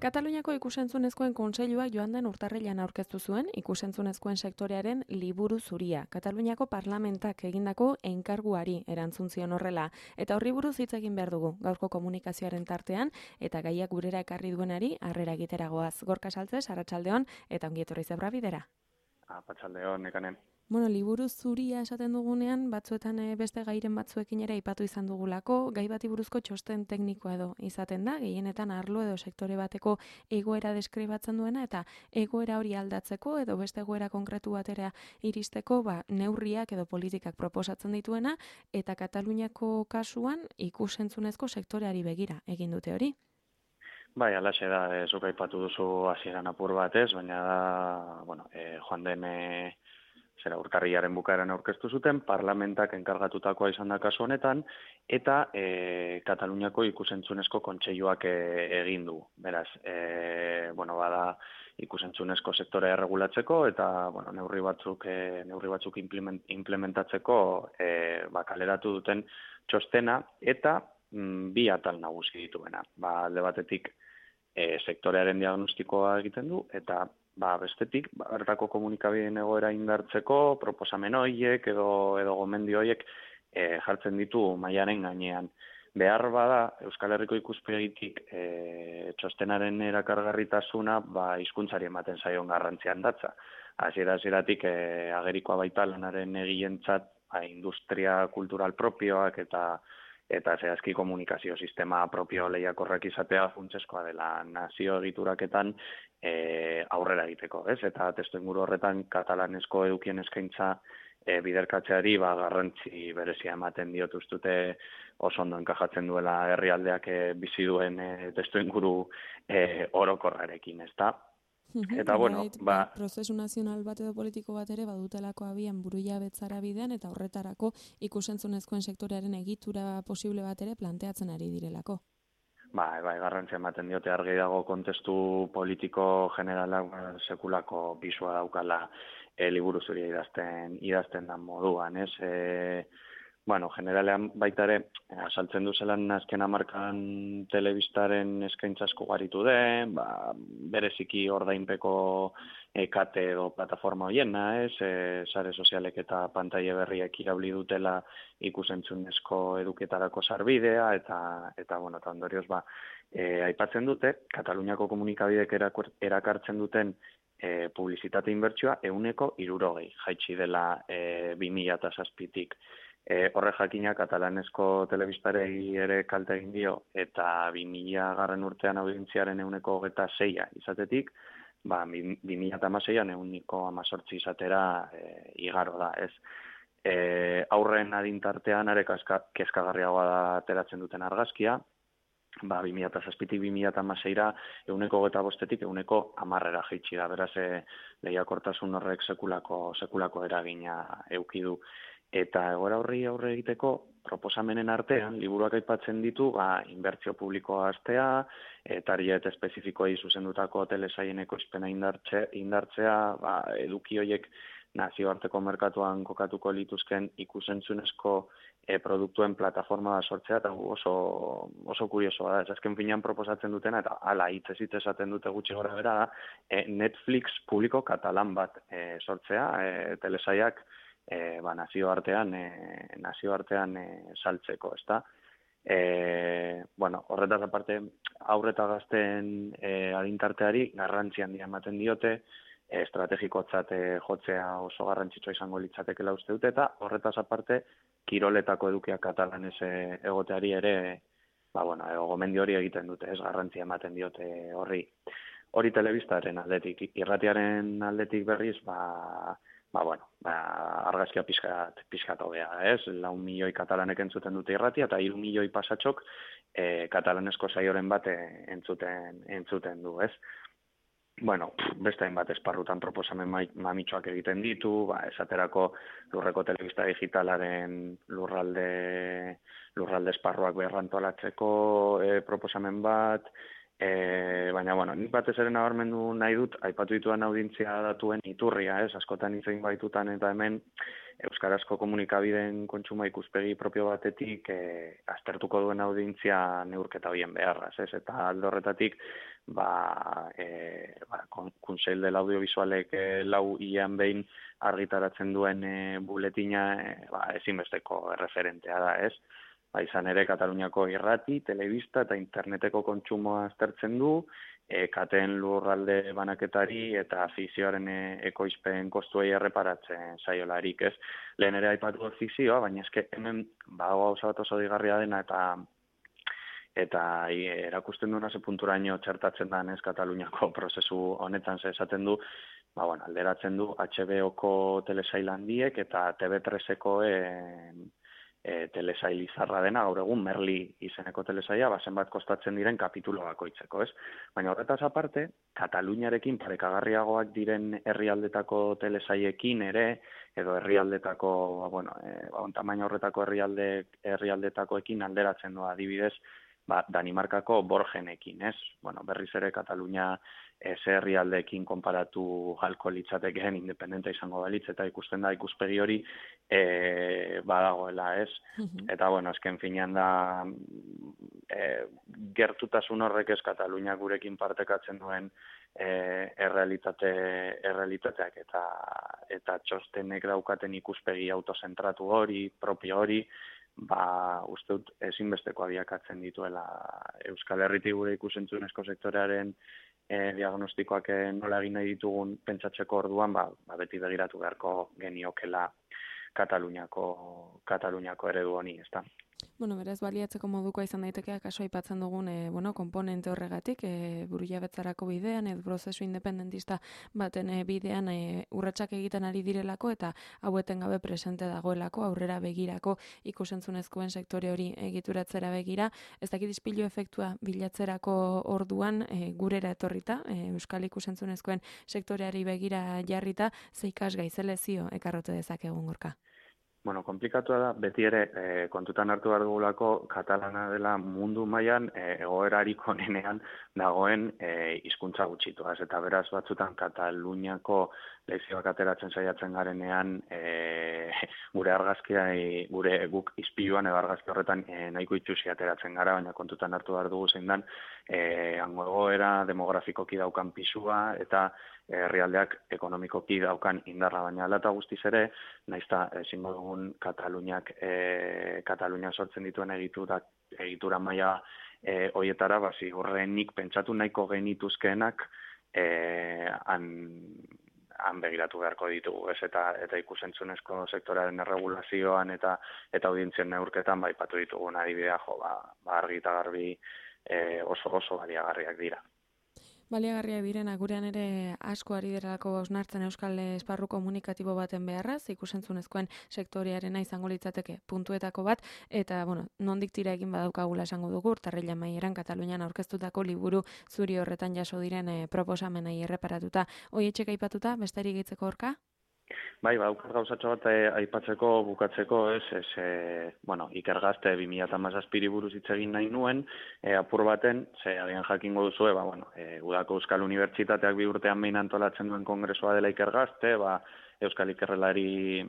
Kataluniako ikus-entzunezkoen kontseiluak joan den urtarrilean aurkeztu zuen ikus-entzunezkoen sektorearen liburu zuria. Kataluniako parlamentak egindako enkarguari erantzun zion horrela. Eta horri buruz hitz egin behar dugu, gaurko komunikazioaren tartean, eta gaiak gurera ekarri duenari harrera egiteragoaz. Gorka Saltzes, arratsaldeon, eta ongi etorri zebra bidera. Arratsaldeon, Nekanen. Bueno, liburu zuria esaten dugunean, batzuetan beste gairen batzuekin ere aipatu izan dugulako, gai bati buruzko txosten teknikoa edo izaten da, gehienetan arlo edo sektore bateko egoera deskribatzen duena, eta egoera hori aldatzeko edo beste egoera konkretu batera iristeko, neurriak edo politikak proposatzen dituena, eta Kataluniako kasuan ikus-entzunezko sektoreari begira egin dute hori. Bai, alaxe da, zuk aipatu duzu hasieran apur bat ez, baina da, joan den urtarrilaren bukaeran aurkeztu zuten, parlamentak enkargatutakoa izan da kasu honetan, eta Kataluniako ikus-entzunezko kontseiluak egin du. Beraz, bada ikus-entzunezko sektorea erregulatzeko, eta neurri batzuk implementatzeko kaleratu duten txostena, eta bi atal nagusi dituena. Alde batetik sektorearen diagnostikoa egiten du, eta bestetik, bertako komunikabideen egoera indartzeko, proposamen horiek edo gomendio horiek jartzen ditu mailaren gainean. Behar bada, Euskal Herriko ikuspegitik txostenaren erakargarritasuna hizkuntzari ematen zaion garrantzian datza. Hasieratik agerikoa baita lanaren egilentzat industria kultural propioak eta zehazki komunikazio sistema propio lehiakorrak izatea funtsezkoa dela nazio egituraketan aurrera egiteko, ez? Eta testuinguru horretan katalanezko edukien eskaintza biderkatzeari garrantzi berezia ematen diot ustute oso ondo enkajatzen duela herrialdeak bizi duen testuinguru orokorrarekin, ezta? Eta prozesu nazional bat edo politiko bat ere badutelako abian burujabetzara bidean eta horretarako ikus-entzunezkoen sektorearen egitura posible bat ere planteatzen ari direlako. Bai, garrantzia ematen diote argi dago kontestu politiko generalak sekulako pisua daukala liburu zuria idazten dan moduan, ez? Generalean baita ere, asaltzen du zelan azken hamarkadan telebistaren eskaintza asko garitu den, bereziki ordainpeko kate edo plataforma hoiena, sare sozialek eta pantaile berriek irauli dutela ikus-entzunezko eduketarako sarbidea, eta ondorioz aipatzen dute, Kataluniako komunikabidek erakartzen duten publizitate inbertsioa 160 jaitsi dela 2007-tik. Horre jakina katalanezko telebistarei ere kalte egin dio, eta 2000 urtean audientziaren 126 izatetik, 2016an 118 izatera igaro da, ez? Aurren adintartean are kezkagarriagoa da ateratzen duten argazkia, 2007-tik 2016ra 125-tik 110 jaitsi da, beraz lehiakortasun horrek sekulako eragina eduki du. Eta egoera horri aurre egiteko proposamenen artean, liburuak aipatzen ditu, inbertsio publikoa hastea, target espezifikoei zuzendutako telesaien ekoizpena indartzea, eduki horiek nazioarteko merkatuan kokatuko lituzken ikus-entzunezko produktuen plataforma sortzea, eta oso kuriosoa da. Azken finean proposatzen dutena, eta hala hitzez esaten dute gutxi gora bera da, Netflix publiko katalan bat sortzea, telesaiak nazioartean saltzeko, ezta? Horretaz aparte, haur eta gazteen adintarteari garrantzi handia ematen diote, estrategikotzat jotzea oso garrantzitsua izango litzatekeela uste dute, eta horretaz aparte, kiroletako edukiak katalanez egoteari ere, gomendio hori egiten dute, ez garrantzia ematen diote horri. Hori telebistaren aldetik, irratiaren aldetik berriz, argazkia pixkat hobea, ez? 4 milioi katalanek entzuten dute irratia, eta 3 milioi pasatxok katalanezko saioren bat entzuten du, ez? Bueno, beste hainbat esparrutan proposamen mamitsuak egiten ditu, esaterako lurreko telebista digitalaren lurralde esparruak berrantolatzeko proposamen bat, baina, bueno, nik batez ere nabarmendu nahi dut, aipatu ditudan audientzia datuen iturria, askotan hitz egin baitutan eta hemen euskarazko komunikabideen kontsuma ikuspegi propio batetik aztertuko duen audientzia neurketa horien beharraz, eta alde horretatik Kunsell del Audiovisualek lau hilean behin argitaratzen duen buletina ezinbesteko erreferentea da, izan ere Kataluniako irrati, telebista eta interneteko kontsumoa aztertzen du, kateen lurralde banaketari eta fikzioaren ekoizpen kostuei erreparatzen saiolarik, Lehen ere aipatu fikzioa, baina eske hemen gauza bat oso digarria dena eta erakusten duena ze punturaino txertatzen da Kataluniako prozesu honetan esaten du, alderatzen du HBO-ko telesail handiek eta TV3-eko telesail izarra dena, gaur egun Merli izeneko telesaila, zenbat kostatzen diren kapitulo bakoitzeko, Baina horretaz aparte, Kataluniarekin parekagarriagoak diren herrialdetako telesailekin ere, edo herrialdetako, tamaina horretako herrialdetakoekin alderatzen du adibidez, Danimarkako Borgenekin, berriz ere Katalunia herrialdeekin konparatu halko litzatekeen independente izango balitz, eta ikusten da ikuspegi hori badagoela, Eta, esken finean da gertutasun horrek Katalunia gurekin partekatzen duen errealitateak eta txostenek daukaten ikuspegi autozentratu hori, propio hori, uste dut ezinbesteko abiakatzen dituela Euskal Herritik gure ikusentzunezko sektorearen diagnostikoak nola egin nahi ditugun pentsatzeko orduan, beti begiratu beharko geniokela Kataluniako eredu honi, ezta. Beraz, baliatzeko modukoa izan daiteke kaso aipatzen dugun konponente horregatik, burujabetzarako bidean, edo prozesu independentista baten bidean urratsak egiten ari direlako, eta haueten gabe presente dagoelako, aurrera begirako ikusentzunezkoen sektore hori egituratzera begira. Ez dakit ispilu efektua bilatzerako orduan gurera etorrita, euskal ikusentzunezkoen sektoreari begira jarrita, ze ikasgai, ze lezio ekarrote dezakegun Gorka? Komplikatua da, beti ere kontutan hartu behar dugulako katalana dela mundu mailan egoerarik onenean dagoen hizkuntza gutxituaz, eta beraz batzutan Kataluniako lezioak ateratzen saiatzen garenean gure argazkia, guk ispiluan edo argazki horretan nahiko itxusi ateratzen gara, baina kontutan hartu behar dugu zein dan hango egoera demografikoki daukan pisua eta herrialdeak ekonomikoki daukan indarra, baina hala eta guztiz ere, naizta ezingo dugun Katalunia sortzen dituen egitura maila hoietara, zigorrenik pentsatu nahiko genituzkeenak han begiratu beharko ditugu, eta ikusentzunezko sektorearen erregulazioan eta audientzien neurketan aipatu ditugun adibidea, argi eta garbi oso baliagarriak dira. Baliagarriak direna gurean ere asko ari derelako hausnartzen euskal esparru komunikatibo baten beharraz, ikusentzunezkoen sektorearena izango litzateke puntuetako bat, eta, nondik tira egin badaukagula esango dugu, urtarrila maieran Katalunian aurkeztutako liburu zuri horretan jaso diren proposamenei erreparatuta. Hoietxek aipatuta, besterik gehitzeko Gorka? Daukar gauzatxo bat aipatzeko, bukatzeko, Iker Gazte 2017 buruz hitz egin nahi nuen, apur baten, agian jakingo duzue, Udako Euskal Unibertsitateak 2 urtean behin antolatzen duen kongresua dela Iker Gazte, Euskal Ikerrelari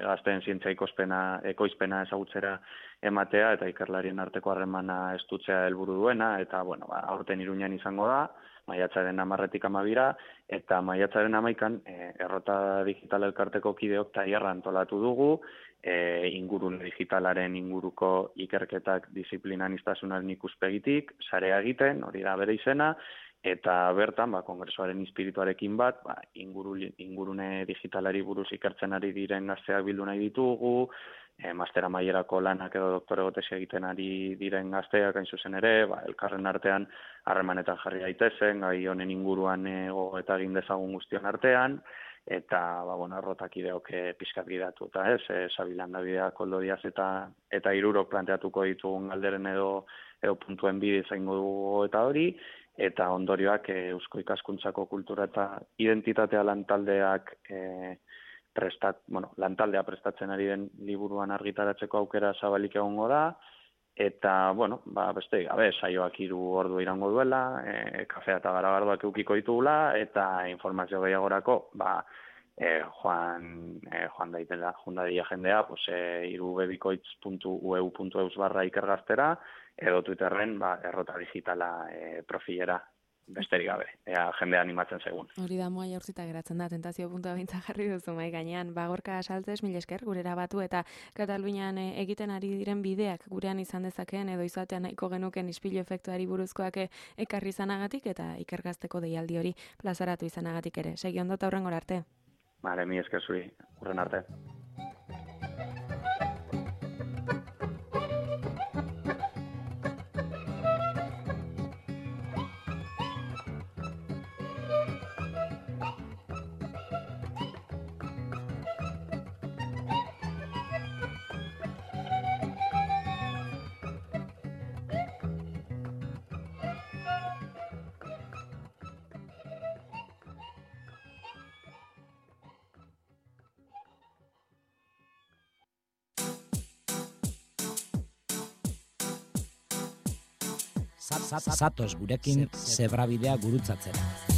gazteen zientzia ekoizpena ezagutzera ematea, eta ikerlarien arteko harremana estutzea helburu duena, eta, aurten Iruñan izango da, maiatzaren 10-tik 12, eta maiatzaren 11 errota digital elkarteko kideok tailerra antolatu dugu, ingurune digitalaren inguruko ikerketak disiplinanistasunaren ikuspegitik, sarea egiten, hori da bere izena, eta bertan, kongresuaren espirituarekin bat, ingurune digitalari buruz ikertzen ari diren gazteak bildu nahi ditugu, master amaierako lanak edo doktorego tesia egiten ari diren gazteak hain zuzen ere, elkarren artean harremanetan jarri daitezen, gai honen inguruan gogoeta egin dezagun guztion artean, eta errotakideok pizkat gidatu, eta Sabilanda Bidea, Koldo Diaz eta Hirurok planteatuko ditugun galderen edo puntuen bide zaingo dugu eta hori, eta ondorioak Eusko Ikaskuntzako kultura eta identitatea lantaldeak lantaldea prestatzen ari den liburuan argitaratzeko aukera zabalik egongo da, eta, beste gabe, saioak 3 ordu irango duela, kafea eta garagardoak eukiko ditugula, eta informazio gehiagorako, joan dadila jendea, irubebikoitz.eu.eus/ikergaztera, edo Twitterren, errota digitala profilera, besterik gabe, jendea animatzen segun. Hori da moa jaurzita geratzen da, tentazio puntua bintza jarri duzu mai gainean. Gorka Saltzes, mil esker, gurera batu eta Katalunian egiten ari diren bideak gurean izan dezakeen edo izatean nahiko genuken ispilu efektuari buruzkoak ekarri izanagatik eta ikergazteko deialdi hori plazaratu izanagatik ere. Segi ondo eta hurrengora arte. Bale, mi esker zuri, hurren arte. Zatoz gurekin zebrabidea gurutzatzera.